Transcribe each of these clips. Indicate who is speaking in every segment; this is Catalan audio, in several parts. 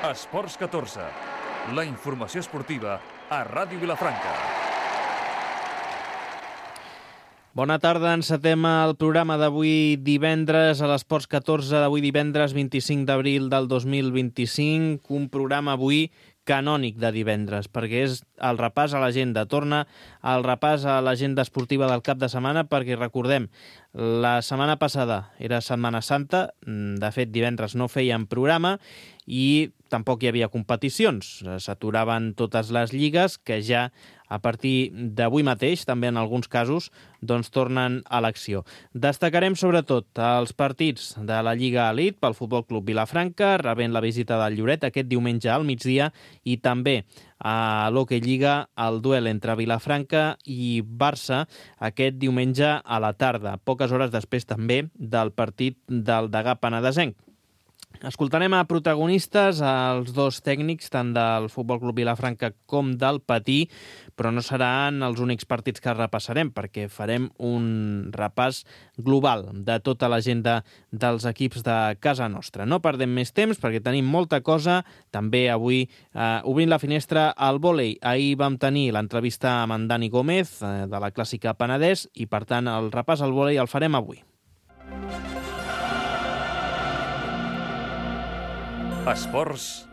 Speaker 1: Esports 14, la informació esportiva a Ràdio Vilafranca.
Speaker 2: Bona tarda, encetem el programa d'avui divendres a l'Esports 14, d'avui divendres 25 d'abril del 2025, un programa avui canònic de divendres, perquè és el repàs a l'agenda. Torna el repàs a l'agenda esportiva del cap de setmana, perquè recordem, la setmana passada era Setmana Santa, de fet divendres no feien programa i tampoc hi havia competicions. S'aturaven totes les lligues que ja a partir d'avui mateix, també en alguns casos, doncs tornen a l'acció. Destacarem sobretot els partits de la Lliga Elite pel Futbol Club Vilafranca, rebent la visita del Lloret aquest diumenge al migdia, i també a l'Hockey Lliga el duel entre Vilafranca i Barça aquest diumenge a la tarda, poques hores després també del partit del Degà Penedesenc. Escoltarem a protagonistes, els dos tècnics, tant del Futbol Club Vilafranca com del Patí, però no seran els únics partits que repassarem, perquè farem un repàs global de tota l'agenda dels equips de casa nostra. No perdem més temps, perquè tenim molta cosa. També avui, obrint la finestra al vòlei. Ahir vam tenir l'entrevista amb en Dani Gómez, de la Clàssica Penedès, i per tant el repàs al vòlei el farem avui.
Speaker 1: Esports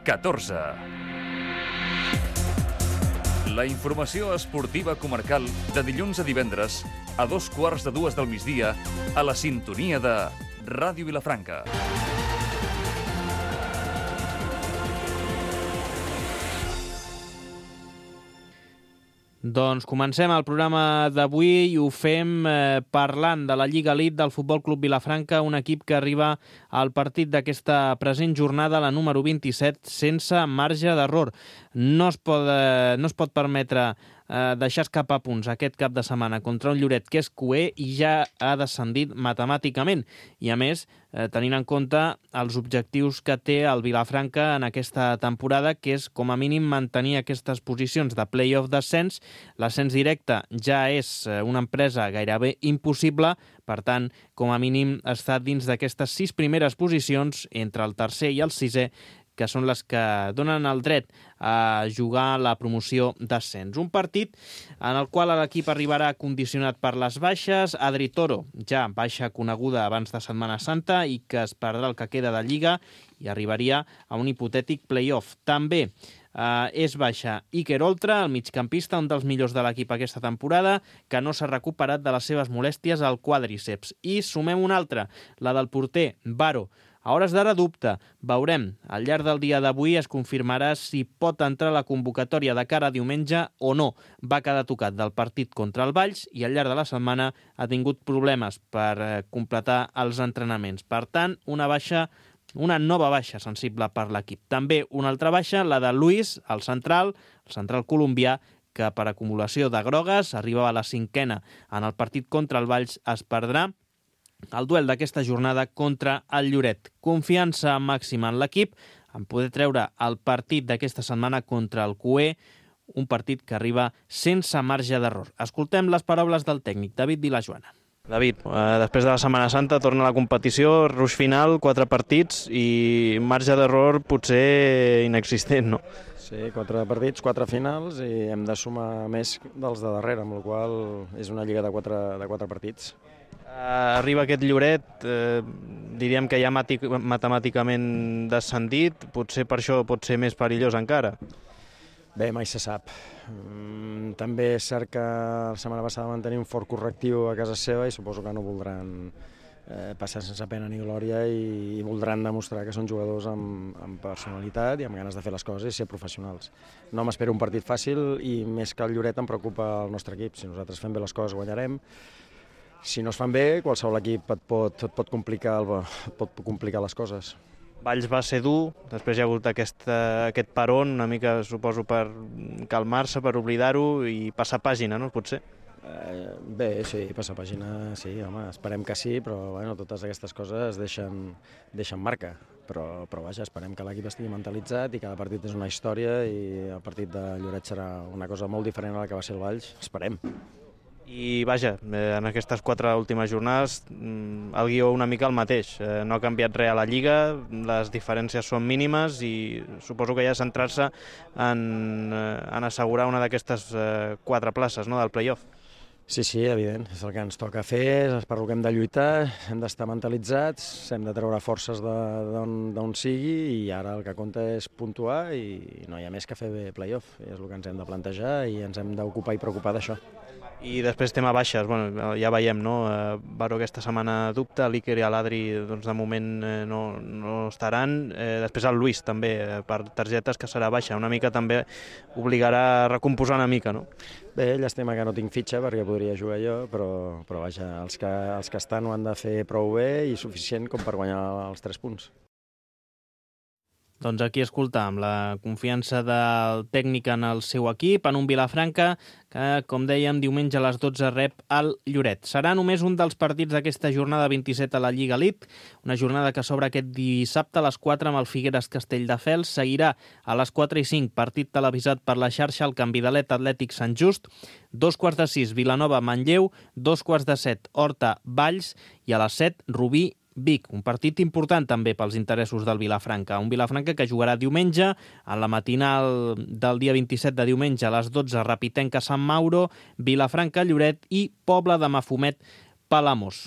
Speaker 1: 14. La informació esportiva comarcal de dilluns a divendres a 2:15 del migdia a la sintonia de Ràdio Vilafranca.
Speaker 2: Doncs comencem el programa d'avui i ho fem parlant de la Lliga Elite del Futbol Club Vilafranca, un equip que arriba al partit d'aquesta present jornada, la número 27, sense marge d'error. No es pot permetre deixar escapar punts aquest cap de setmana contra un Lloret que és cuer i ja ha descendit matemàticament. I a més, tenint en compte els objectius que té el Vilafranca en aquesta temporada, que és com a mínim mantenir aquestes posicions de play-off d'ascens. L'ascens directe ja és una empresa gairebé impossible, per tant, com a mínim està dins d'aquestes 6 primeres posicions entre el tercer i el sisè, que són les que donen el dret a jugar la promoció d'ascens. Un partit en el qual l'equip arribarà condicionat per les baixes. Adri Toro, ja baixa coneguda abans de Setmana Santa i que es perdrà el que queda de Lliga i arribaria a un hipotètic play-off. També és baixa Iker Oltra, el migcampista, un dels millors de l'equip aquesta temporada, que no s'ha recuperat de les seves molèsties al quàdriceps. I sumem una altra, la del porter, Baro. A hores d'ara dubta. Veurem. Al llarg del dia d'avui es confirmarà si pot entrar a la convocatòria de cara a diumenge o no. Va quedar tocat del partit contra el Valls i al llarg de la setmana ha tingut problemes per completar els entrenaments. Per tant, una nova baixa sensible per l'equip. També una altra baixa, la de Luis, el central colombià, que per acumulació de grogues arribava a la 5a en el partit contra el Valls, es perdrà el duel d'aquesta jornada contra el Lloret. Confiança màxima en l'equip en poder treure el partit d'aquesta setmana contra el Cué, un partit que arriba sense marge d'error. Escoltem les paraules del tècnic, David Vilajoana.
Speaker 3: David, després de la Setmana Santa torna a la competició, ruix final, 4 partits i marge d'error potser inexistent, no?
Speaker 4: Sí, 4 partits, 4 finals i hem de sumar més dels de darrere, amb la qual cosa és una lliga de 4 partits.
Speaker 3: Arriba aquest Lloret, diríem que ja matemàticament descendit, potser per això pot ser més perillós encara.
Speaker 4: Bé, mai se sap. També és cert que la setmana passada van tenir un fort correctiu a casa seva i suposo que no voldran passar sense pena ni glòria i voldran demostrar que són jugadors amb personalitat i amb ganes de fer les coses i ser professionals. No m'espero un partit fàcil i més que el Lloret em preocupa el nostre equip. Si nosaltres fem bé les coses guanyarem. Si no es fan bé, qualsevol equip et pot complicar les coses.
Speaker 3: Valls va ser dur, després hi ha hagut aquest peron, una mica suposo per calmar-se, per oblidar-ho i passar pàgina, no? Potser?
Speaker 4: Bé, sí, passar pàgina, sí, home, esperem que sí, però bueno, totes aquestes coses deixen marca. Però vaja, esperem que l'equip estigui mentalitzat i cada partit és una història i el partit de Lloret serà una cosa molt diferent a la que va ser el Valls, esperem.
Speaker 3: I vaja, en aquestes 4 últimes jornades el guió una mica el mateix. No ha canviat res a la Lliga, les diferències són mínimes i suposo que ja centrar-se en assegurar una d'aquestes 4 places, no, del play-off.
Speaker 4: Sí, evident, és el que ens toca fer, és per el que hem de lluitar, hem d'estar mentalitzats, hem de treure forces d'on sigui i ara el que compta és puntuar i no hi ha més que fer bé play-off, és el que ens hem de plantejar i ens hem d'ocupar i preocupar d'això.
Speaker 3: I després tema baixes, bueno, ja veiem, no? Baró aquesta setmana dubta, l'Iker i l'Adri doncs, de moment no estaran. Després el Luis també, per targetes, que serà baixa. Una mica també obligarà a recomposar una mica, no?
Speaker 4: Bé, llàstima que no tinc fitxa perquè podria jugar jo, però vaja, els que estan ho han de fer prou bé i suficient com per guanyar els 3 punts.
Speaker 2: Doncs aquí escoltàvem la confiança del tècnic en el seu equip, en un Vilafranca que, com dèiem, diumenge a les 12 rep el Lloret. Serà només un dels partits d'aquesta jornada 27 a la Lliga Elite, una jornada que s'obre aquest dissabte a les 4 amb el Figueres Castelldefels. Seguirà a les 4:05 partit televisat per la xarxa el Canvidalet Atlètic Sant Just, 2:45 Vilanova Manlleu, 2:15 Horta Valls i a les 7 Rubí Vic, un partit important també pels interessos del Vilafranca. Un Vilafranca que jugarà diumenge, en la matinal del dia 27 de diumenge a les 12, Rapitenca Sant Mauro, Vilafranca Lloret i Pobla de Mafumet Palamós.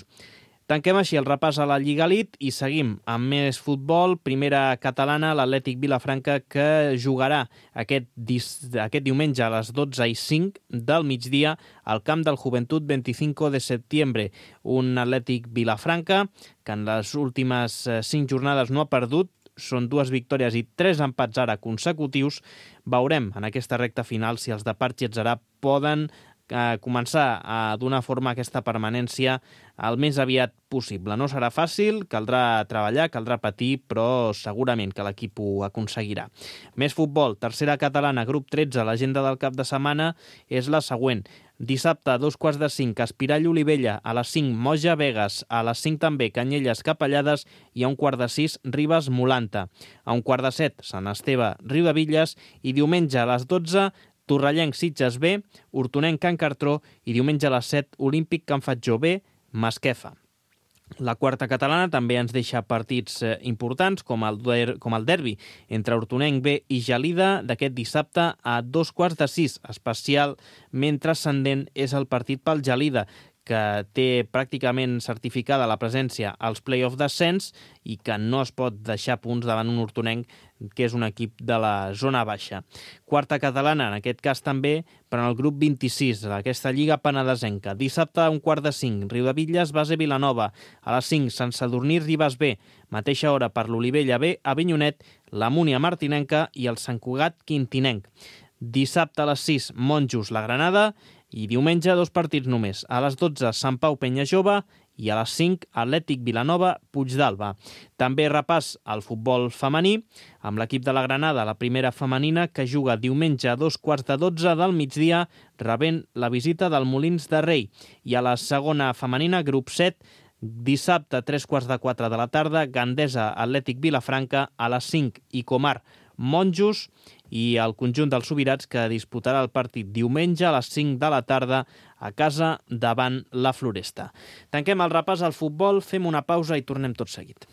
Speaker 2: Tanquem així el repàs a la Lliga Elite i seguim amb més futbol. Primera catalana, l'Atlètic Vilafranca, que jugarà aquest diumenge a les 12:05 del migdia al camp del Joventut 25 de setembre. Un Atlètic Vilafranca que en les últimes 5 jornades no ha perdut, són 2 victòries i 3 empats ara consecutius. Veurem en aquesta recta final si els de Parchi Atzarà poden començar a donar forma a aquesta permanència el més aviat possible. No serà fàcil, caldrà treballar, caldrà patir, però segurament que l'equip ho aconseguirà. Més futbol, tercera catalana, grup 13, l'agenda del cap de setmana és la següent. Dissabte, a 2:45, Espirall Olivella, a les 5, Moja Vegas, a les 5 també, Canyelles Capellades i a 1:45, Ribes Molanta. A 1:17, Sant Esteve Riudevilles i diumenge a les 12, Torrellenc Sitges B, Hortonenc Can Cartró i diumenge a les 7, Olímpic Can Fatjó B, Masquefa. La quarta catalana també ens deixa partits importants com el derbi entre Hortonenc B i Gelida d'aquest dissabte a 2:15. Especialment transcendent és el partit pel Gelida, que té pràcticament certificada la presència als play-off d'ascens i que no es pot deixar punts davant un Hortonenc que és un equip de la zona baixa. Quarta catalana, en aquest cas també, per al grup 26, aquesta Lliga Penedesenca. Dissabte a 1:45, Riudevilles Base Vilanova. A les 5, Sant Sadurní Ribes B. Mateixa hora per l'Olivella B, Avinyonet, la Múnia Martinenca i el Sant Cugat Quintinenc. Dissabte a les 6, Monjos La Granada i diumenge 2 partits només. A les 12, Sant Pau Penya Jove i a les 5, Atlètic Vilanova Puigdàlber. També repàs al futbol femení amb l'equip de la Granada, la primera femenina, que juga diumenge a 2:15 del migdia rebent la visita del Molins de Rei. I a la segona femenina, grup 7, dissabte a 3:15 de la tarda, Gandesa Atlètic Vilafranca, a les 5 i Comar Monjos i el conjunt dels Subirats, que disputarà el partit diumenge a les 5 de la tarda a casa davant la Floresta. Tanquem el repàs al futbol, fem una pausa i tornem tot seguit.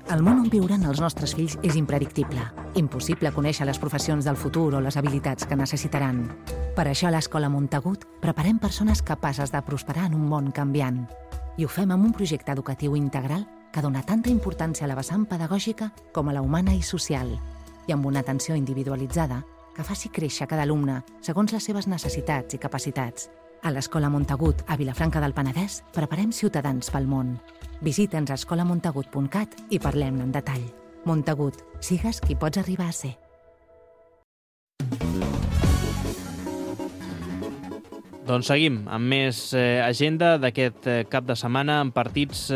Speaker 5: El món on viuran els nostres fills és impredictible. Impossible conèixer les professions del futur o les habilitats que necessitaran. Per això a l'Escola Montagut preparem persones capaces de prosperar en un món canviant. I ho fem amb un projecte educatiu integral que dona tanta importància a la vessant pedagògica com a la humana i social, i amb una atenció individualitzada que faci créixer cada alumne segons les seves necessitats i capacitats. A l'Escola Montagut, a Vilafranca del Penedès, preparem ciutadans pel món. Visita'ns a escolamontagut.cat i parlem-ne en detall. Montagut, sigues qui pots arribar a ser.
Speaker 2: Doncs seguim amb més agenda d'aquest cap de setmana amb partits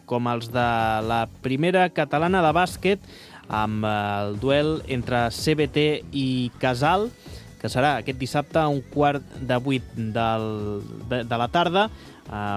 Speaker 2: com els de la primera catalana de bàsquet, amb el duel entre CBT i Casal, que serà aquest dissabte a 7:15 de la tarda,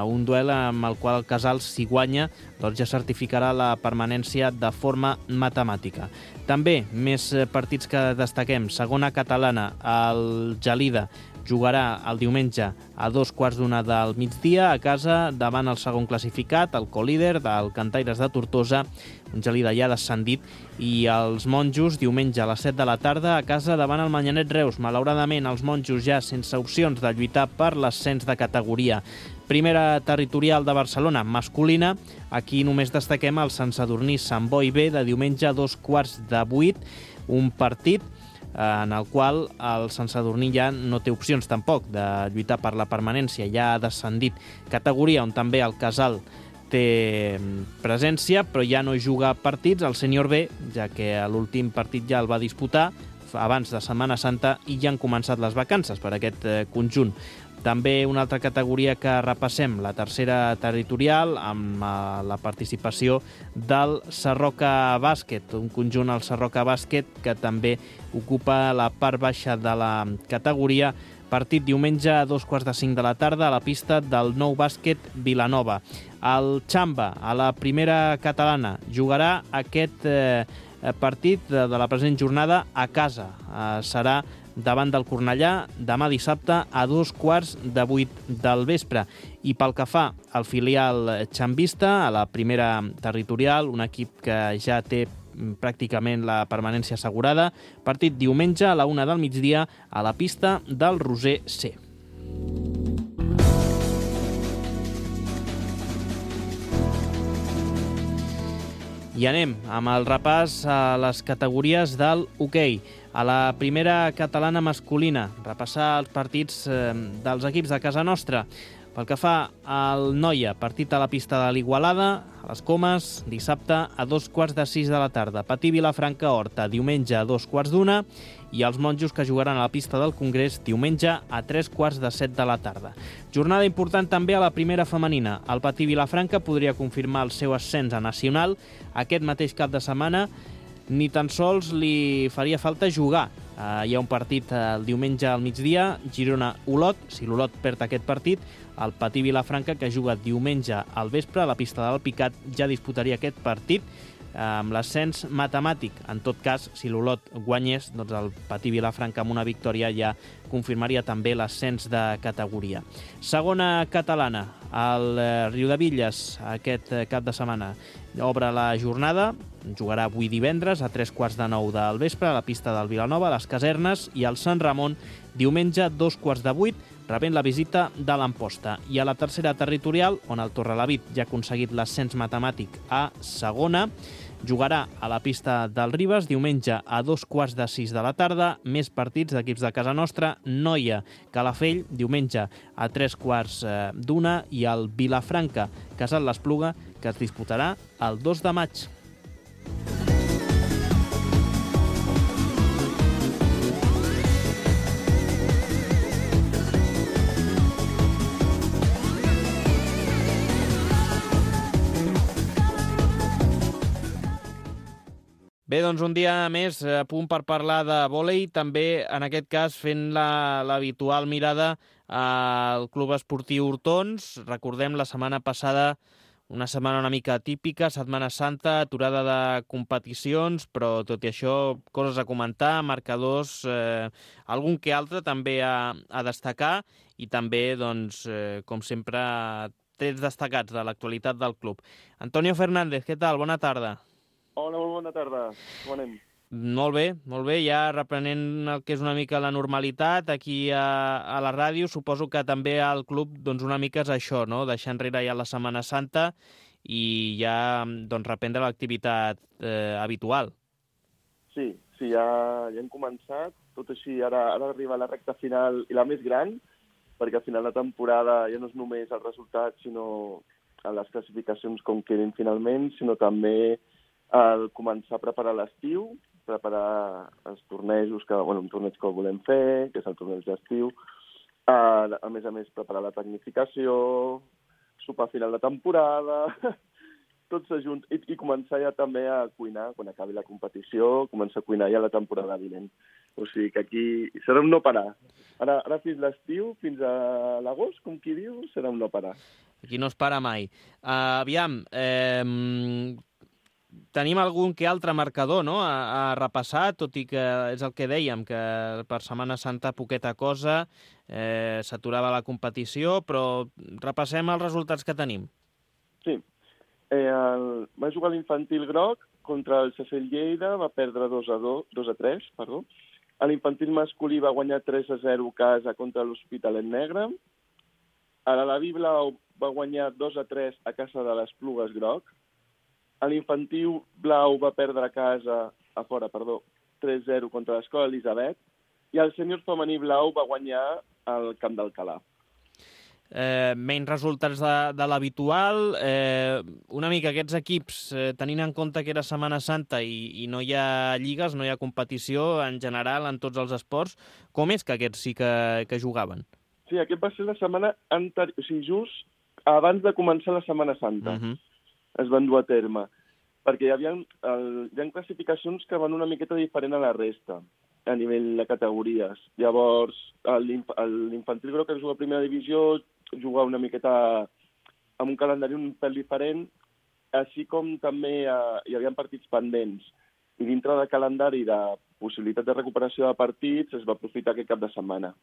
Speaker 2: un duel amb el qual el Casal, si guanya, doncs ja certificarà la permanència de forma matemàtica. També més partits que destaquem. Segona catalana, el Gelida jugarà el diumenge a 2:15 del migdia a casa davant el segon classificat, el colíder del Cantaires de Tortosa, un Gelida ja descendit, i els monjos diumenge a les 7 de la tarda a casa davant el Manyanet Reus. Malauradament, els monjos ja sense opcions de lluitar per l'ascens de categoria. Primera territorial de Barcelona, masculina. Aquí només destaquem el Sant Sadurní Sant Boi B de diumenge a 7:15, un partit en el qual el Sant Sadurní ja no té opcions tampoc de lluitar per la permanència, ja ha descendit. Categoria on també el Casal té presència, però ja no juga partits, el Sènior B, ja que l'últim partit ja el va disputar abans de Setmana Santa i ja han començat les vacances per aquest conjunt. També una altra categoria que repassem, la tercera territorial, amb la participació del Sarroca Bàsquet, un conjunt, el Sarroca Bàsquet, que també ocupa la part baixa de la categoria. Partit diumenge a 4:45 de la tarda a la pista del Nou Bàsquet Vilanova. El Xamba, a la primera catalana, jugarà aquest partit de la present jornada a casa. Serà davant del Cornellà demà dissabte a 7:15 del vespre. I pel que fa al filial xambista, a la primera territorial, un equip que ja té pràcticament la permanència assegurada, partit diumenge a la 1 del migdia a la pista del Roser C. I anem amb el repàs a les categories del hoquei. A la primera catalana masculina, repassar els partits dels equips de casa nostra. Pel que fa al Noia, partit a la pista de l'Igualada, a les Comes, dissabte a 5:15 de la tarda. Patí Vilafranca Horta, diumenge a 2:15, i els monjos que jugaran a la pista del Congrés diumenge a 7:15 de la tarda. Jornada important també a la primera femenina. El Patí Vilafranca podria confirmar el seu ascens a nacional aquest mateix cap de setmana. Ni tan sols li faria falta jugar. Hi ha un partit el diumenge al migdia, Girona-Olot. Si l'Olot perd aquest partit, el Patí Vilafranca, que juga diumenge al vespre a la pista del Picat, ja disputaria aquest partit amb l'ascens matemàtic. En tot cas, si l'Olot guanyés, doncs el Patí Vilafranca amb una victòria ja confirmaria també l'ascens de categoria. Segona catalana, el Riudebitlles, aquest cap de setmana obre la jornada, jugarà avui divendres a 7:15 del vespre a la pista del Vilanova, a les Casernes, i el Sant Ramon diumenge a 7:15, rebent la visita de l'Amposta. I a la tercera territorial, on el Torrelavit ja ha aconseguit l'ascens matemàtic a segona, jugarà a la pista del Ribes diumenge a 5:15 de la tarda. Més partits d'equips de casa nostra: Noia, Calafell, diumenge a 3:15 i el Vilafranca, Casal l'Espluga, que es disputarà el 2 de maig. Bé, doncs un dia més a punt per parlar de vòlei, també en aquest cas fent l'habitual mirada al Club Esportiu Hortons. Recordem la setmana passada, una setmana una mica atípica, Setmana Santa, aturada de competicions, però tot i això, coses a comentar, marcadors, algun que altre també a destacar, i també, doncs, com sempre, trets destacats de l'actualitat del club. Antonio Fernández, què tal? Bona tarda.
Speaker 6: Hola, molt bona tarda. Com anem?
Speaker 2: Molt bé, ja reprenent el que és una mica la normalitat aquí a la ràdio. Suposo que també al club doncs una mica és això, no? Deixar enrere ja la Setmana Santa i ja doncs, reprendre l'activitat habitual.
Speaker 6: Sí, ja hem començat. Tot així, ara arriba la recta final i la més gran, perquè al final de temporada ja no és només el resultat, sinó les classificacions com quedin finalment, sinó també el començar a preparar l'estiu, preparar els tornejos, un torneig que volem fer, que és el torneig d'estiu, a més, preparar la tecnificació, sopar final de temporada, tots junts, i començar ja també a cuinar, quan acabi la competició, començar a cuinar ja la temporada vinent. O sigui que aquí serà un no parar. Ara fins l'estiu, fins a l'agost, com qui diu, serà un no parar.
Speaker 2: Aquí no es para mai. Aviam, tenim algun que altre marcador, no?, a repassar, tot i que és el que dèiem, que per Setmana Santa poqueta cosa, s'aturava la competició, però repassem els resultats que tenim.
Speaker 6: Sí. Va jugar l'infantil groc contra el Cecil Lleida, va perdre 2-3, perdó. L'infantil masculí va guanyar 3-0 a casa contra l'Hospitalet Negre. L'Alaví blau va guanyar 2-3 a casa de l'Esplugues groc. L'infantil blau va perdre a casa, 3-0 contra l'Escola Elisabet. I el sènior femení blau va guanyar al Camp d'Alcalà.
Speaker 2: Menys resultats de l'habitual. Una mica aquests equips, tenint en compte que era Setmana Santa i no hi ha lligues, no hi ha competició en general en tots els esports, com és que aquests sí que jugaven?
Speaker 6: Sí, aquest va ser la setmana anterior, o sigui, just abans de començar la Setmana Santa. Es van dur a terme, perquè hi ha classificacions que van una miqueta diferent a la resta, a nivell de categories. Llavors, l'infantil groc que juga a primera divisió juga una miqueta amb un calendari un pèl diferent, així com també hi havia partits pendents. I dintre del calendari de possibilitat de recuperació de partits es va aprofitar aquest cap de setmana.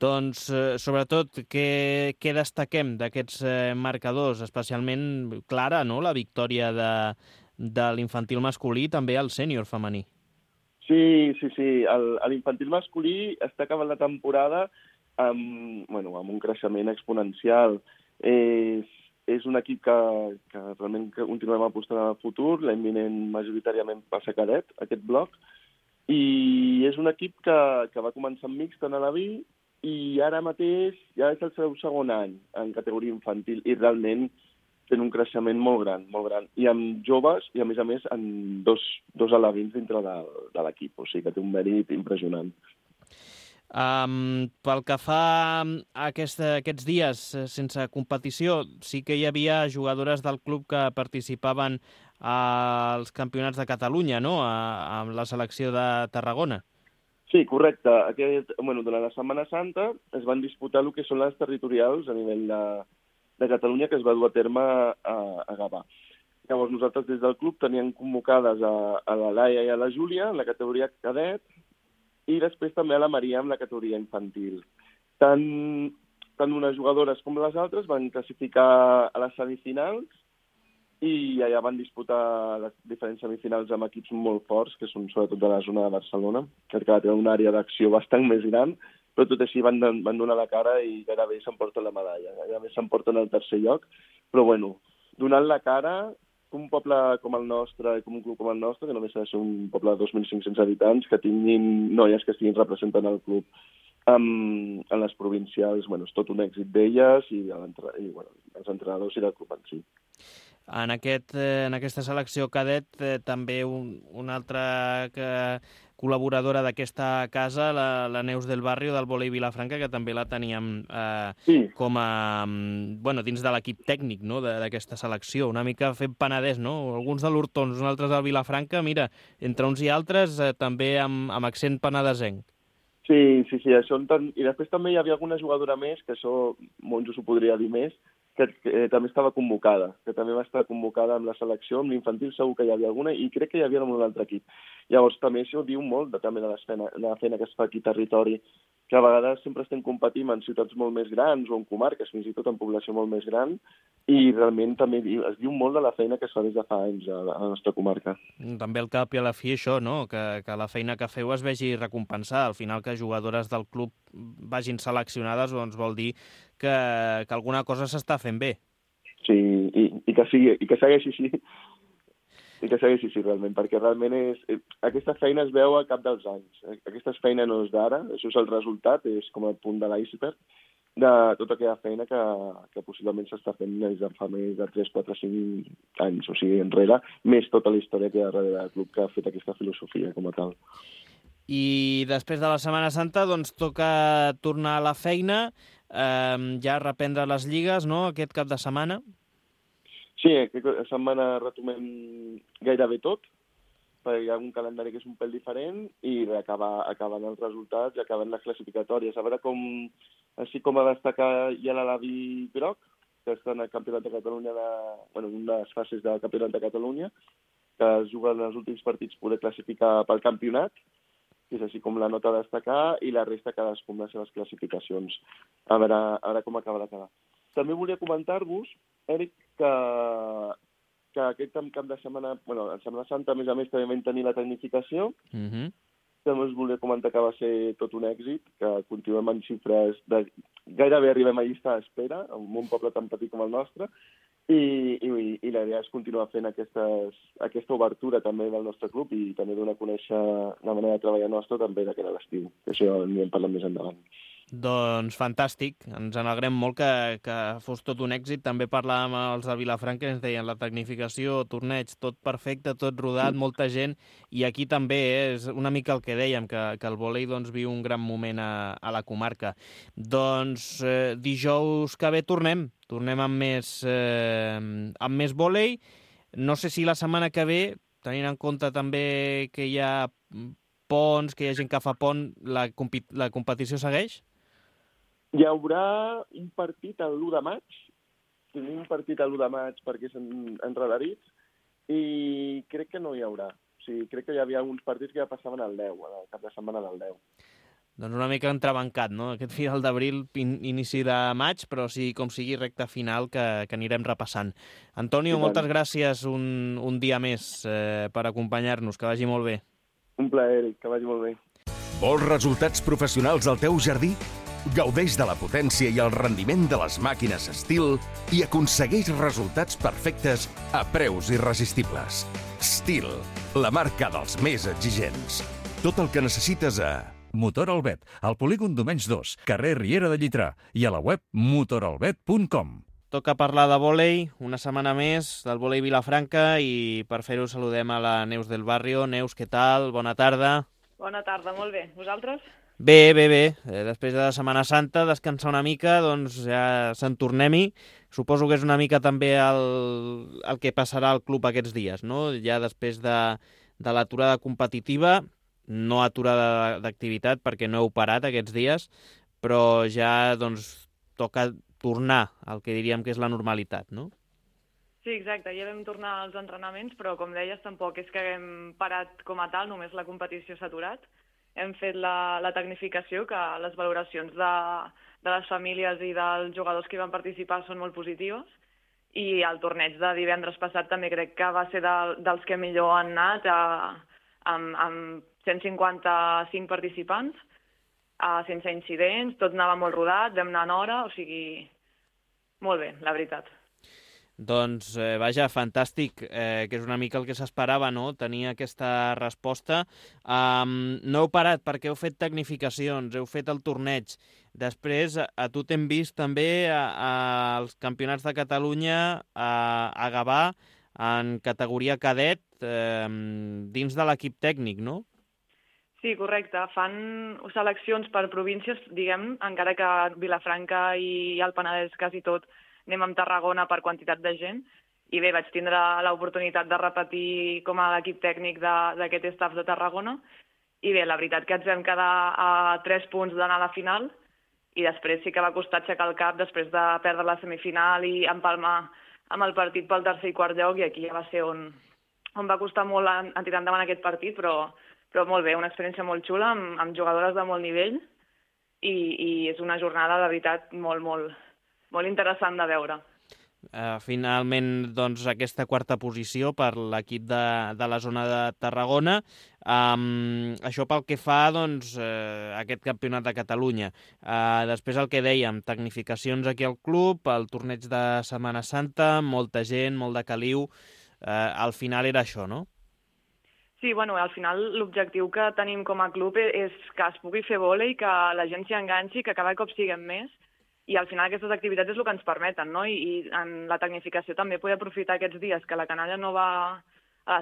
Speaker 2: Doncs, sobretot, què destaquem d'aquests marcadors? Especialment clara, no?, la victòria de l'infantil masculí, també el sènior femení.
Speaker 6: Sí. L'infantil masculí està acabant la temporada amb un creixement exponencial. És un equip que realment continuem apostant en el futur. L'any vinent majoritàriament passa cadet, aquest bloc. I és un equip que va començar amb mixta en l'Alaví i ara mateix ja és el seu segon any en categoria infantil i realment tenen un creixement molt gran. I amb joves i, a més, amb dos alevins dintre de l'equip. O sigui que té un mèrit impressionant.
Speaker 2: Pel que fa a aquests dies sense competició, sí que hi havia jugadores del club que participaven als campionats de Catalunya, no?, amb la selecció de Tarragona.
Speaker 6: Sí, correcte. Durant la Setmana Santa es van disputar el que són les territorials a nivell de Catalunya, que es va dur a terme a Gavà. Llavors nosaltres des del club teníem convocades a la Laia i a la Júlia en la categoria cadet i després també a la Maria en la categoria infantil. Tant unes jugadores com les altres van classificar a les semifinals i allà van disputar les diferents semifinals amb equips molt forts, que són sobretot de la zona de Barcelona, que tenen una àrea d'acció bastant més gran, però tot així van donar la cara i gairebé s'emporten la medalla. Gairebé s'emporten el tercer lloc, però donant la cara, un poble com el nostre i com un club com el nostre, que només ha de ser un poble de 2.500 habitants, que tinguin noies que estiguin representant el club en les provincials, és tot un èxit d'elles i els entrenadors i del club en si.
Speaker 2: En aquesta selecció cadet també una altra col·laboradora d'aquesta casa, la Neus del Barrio del Volei Vilafranca, que també la teníem com a dins de l'equip tècnic, no?, d'aquesta selecció, una mica fent Penedès, no? Alguns de l'Hortons, uns altres del Vilafranca, mira, entre uns i altres també amb accent penedesenc.
Speaker 6: Sí, això i després també hi havia alguna jugadora més, que això Monjo s'ho podria dir més, que també estava convocada, que també va estar convocada amb la selecció, amb l'infantil segur que hi havia alguna, i crec que hi havia amb un altre equip. Llavors també això diu molt també de la feina que es fa aquí a territori, que a vegades sempre estem competint en ciutats molt més grans o en comarques, fins i tot en població molt més gran, i realment també es diu molt de la feina que es fa des de fa anys a la nostra comarca.
Speaker 2: També al cap i a la fi això, no?, que la feina que feu es vegi recompensada. Al final que jugadores del club vagin seleccionades doncs vol dir que alguna cosa s'està fent bé.
Speaker 6: Sí, i que segueixi així. I que segueixi així, realment, perquè realment aquesta feina es veu al cap dels anys. Aquesta feina no és d'ara, això és el resultat, és com el punt de l'iceberg de tota aquella feina que possiblement s'està fent des de fa més de 3, 4, 5 anys, o sigui, enrere, més tota la història que hi ha darrere del club que ha fet aquesta filosofia com a tal.
Speaker 2: I després de la Setmana Santa, doncs, toca tornar a la feina, ja reprendre les lligues, no?, aquest cap de setmana?
Speaker 6: Sí, aquesta setmana retomem gairebé tot, perquè hi ha un calendari que és un pèl diferent i acaben els resultats i acaben les classificatòries. A veure així com a destacar hi ha l'Alaví groc, que està en el Campionat de Catalunya, unes fases del Campionat de Catalunya, que es juguen els últims partits poder classificar pel campionat, que és així com la nota a destacar, i la resta cadascú amb les seves classificacions. A veure com acaba de quedar. També volia comentar-vos, Eric, que aquest cap de setmana, en Setmana Santa, a més, també vam tenir la tecnificació. També us volia comentar que va ser tot un èxit, que continuem en xifres de... Gairebé arribem a llista d'espera, en un poble tan petit com el nostre, i la idea és continuar fent aquesta obertura també del nostre club i també donar a conèixer la manera de treballar nostra també de cara a l'estiu, que això n'hi hem parlat més endavant.
Speaker 2: Doncs fantàstic, ens alegrem molt que fos tot un èxit. També parlàvem amb els de Vilafranca, ens deien la tecnificació, torneig, tot perfecte, tot rodat, molta gent, i aquí també és una mica el que dèiem, que el vòlei viu un gran moment a la comarca. Doncs dijous que ve tornem amb més vòlei. No sé si la setmana que ve, tenint en compte també que hi ha ponts, que hi ha gent que fa pont, la competició segueix?
Speaker 6: Hi haurà un partit l'1 de maig, tenim un partit l'1 de maig perquè són enredarits, i crec que no hi haurà. O sigui, crec que hi havia alguns partits que ja passaven al 10, al cap de setmana del 10.
Speaker 2: Doncs una mica entrebancat, no? Aquest final d'abril, inici de maig, però sí, com sigui, recta final que anirem repassant. Antonio, moltes gràcies un dia més per acompanyar-nos, que vagi molt bé.
Speaker 6: Un plaer, Eric, que vagi molt bé.
Speaker 7: Vols resultats professionals al teu jardí? Gaudeix de la potència i el rendiment de les màquines Stihl i aconsegueix resultats perfectes a preus irresistibles. Stihl, la marca dels més exigents. Tot el que necessites a...
Speaker 1: Motor Albet, al polígon Domenys 2, carrer Riera de Llitrà, i a la web motoralbet.com.
Speaker 2: Toca parlar de vòlei, una setmana més, del vòlei Vilafranca, i per fer-ho saludem a la Neus del Barrio. Neus, què tal? Bona tarda.
Speaker 8: Bona tarda, molt bé. Vosaltres?
Speaker 2: Bé. Després de la Setmana Santa, descansar una mica, doncs ja se'n tornem-hi. Suposo que és una mica també el que passarà al club aquests dies, no? Ja després de l'aturada competitiva, no aturada d'activitat perquè no heu parat aquests dies, però ja doncs toca tornar al que diríem que és la normalitat, no?
Speaker 8: Sí, exacte, ja vam tornar als entrenaments, però com deies tampoc és que haguem parat com a tal, només la competició s'ha aturat. Hem fet la tecnificació, que les valoracions de les famílies i dels jugadors que hi van participar són molt positives, i el torneig de divendres passat també crec que va ser dels que millor han anat, amb 155 participants, sense incidents, tot anava molt rodat, vam anar en hora, o sigui, molt bé, la veritat.
Speaker 2: Doncs, vaja, fantàstic, que és una mica el que s'esperava, no?, tenir aquesta resposta. No heu parat perquè heu fet tecnificacions, heu fet el torneig. Després, a tu t'hem vist també als Campionats de Catalunya a Gavà, en categoria cadet, dins de l'equip tècnic, no?
Speaker 8: Sí, correcte. Fan seleccions per províncies, diguem, encara que Vilafranca i el Penedès quasi tot anem amb Tarragona per quantitat de gent, i bé, vaig tindre l'oportunitat de repetir com a l'equip tècnic d'aquest staff de Tarragona, i bé, la veritat que ens vam quedar a 3 punts d'anar a la final, i després sí que va costar aixecar el cap després de perdre la semifinal i empalmar amb el partit pel tercer i quart lloc, i aquí ja va ser on va costar molt en tirar endavant aquest partit, però molt bé, una experiència molt xula, amb jugadores de molt nivell, i és una jornada, de veritat, molt interessant de veure.
Speaker 2: Finalment, doncs, aquesta quarta posició per l'equip de la zona de Tarragona. Això pel que fa, doncs, a aquest campionat de Catalunya. Després el que dèiem, tecnificacions aquí al club, el torneig de Setmana Santa, molta gent, molt de caliu. Al final era això, no?
Speaker 8: Sí, bueno, al final l'objectiu que tenim com a club és que es pugui fer vòlei, que la gent s'hi enganxi, que cada cop siguem més, i al final aquestes activitats és el que ens permeten, no? I en la tecnificació també poder aprofitar aquests dies que la canalla no va a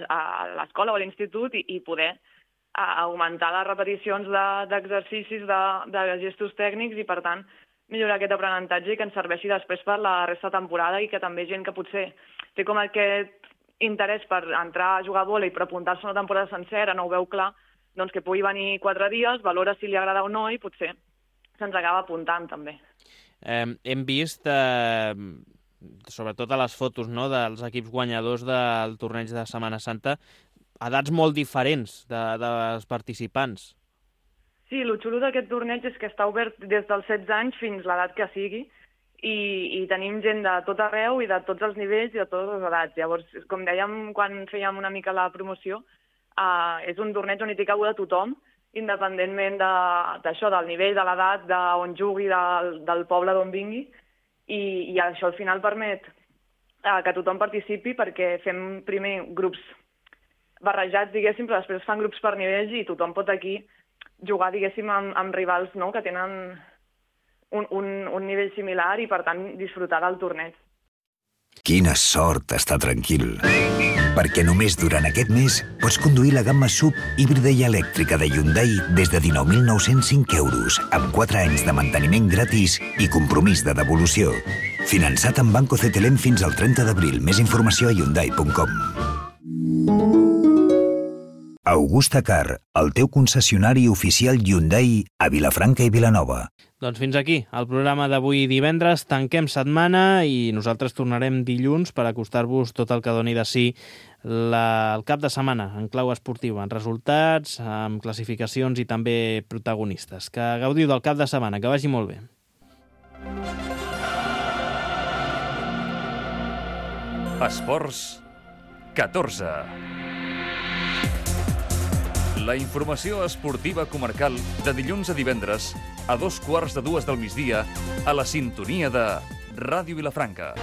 Speaker 8: l'escola o a l'institut i poder augmentar les repeticions d'exercicis, de gestos tècnics, i per tant millorar aquest aprenentatge i que ens serveixi després per la resta de temporada, i que també gent que potser té com aquest interès per entrar a jugar a vòlei però apuntar-se una temporada sencera, no ho veu clar, doncs que pugui venir 4 dies, valora si li agrada o no, i potser se'ns acaba apuntant també.
Speaker 2: Hem vist sobretot a les fotos, no?, dels equips guanyadors del torneig de Setmana Santa, edats molt diferents dels participants.
Speaker 8: Sí, el xulo d'aquest torneig és que està obert des dels 16 anys fins l'edat que sigui i tenim gent de tot arreu i de tots els nivells i de totes les edats. Llavors, com dèiem quan fèiem una mica la promoció, és un torneig on hi té cabuda tothom, independentment d'això, del nivell, de l'edat, d'on jugui, del poble d'on vingui, i això al final permet que tothom participi perquè fem primer grups barrejats, diguéssim, però després fan grups per nivells i tothom pot aquí jugar, diguéssim, amb rivals, no?, que tenen un nivell similar i, per tant, disfrutar del torneig.
Speaker 9: Quina sort estar tranquil, perquè només durant aquest mes pots conduir la gamma SUV híbrida i elèctrica de Hyundai des de 19.905 euros, amb 4 anys de manteniment gratis i compromís de devolució. Finançat amb Banco CTLM fins al 30 d'abril. Més informació a hyundai.com. Augusta Car, el teu concessionari oficial Hyundai a Vilafranca i Vilanova.
Speaker 2: Doncs fins aquí el programa d'avui divendres. Tanquem setmana i nosaltres tornarem dilluns per acostar-vos tot el que doni de si el cap de setmana en clau esportiva, en resultats, amb classificacions i també protagonistes. Que gaudiu del cap de setmana, que vagi molt bé.
Speaker 1: Esports 14. La informació esportiva comarcal de dilluns a divendres a 2:15 del migdia a la sintonia de Ràdio Vilafranca.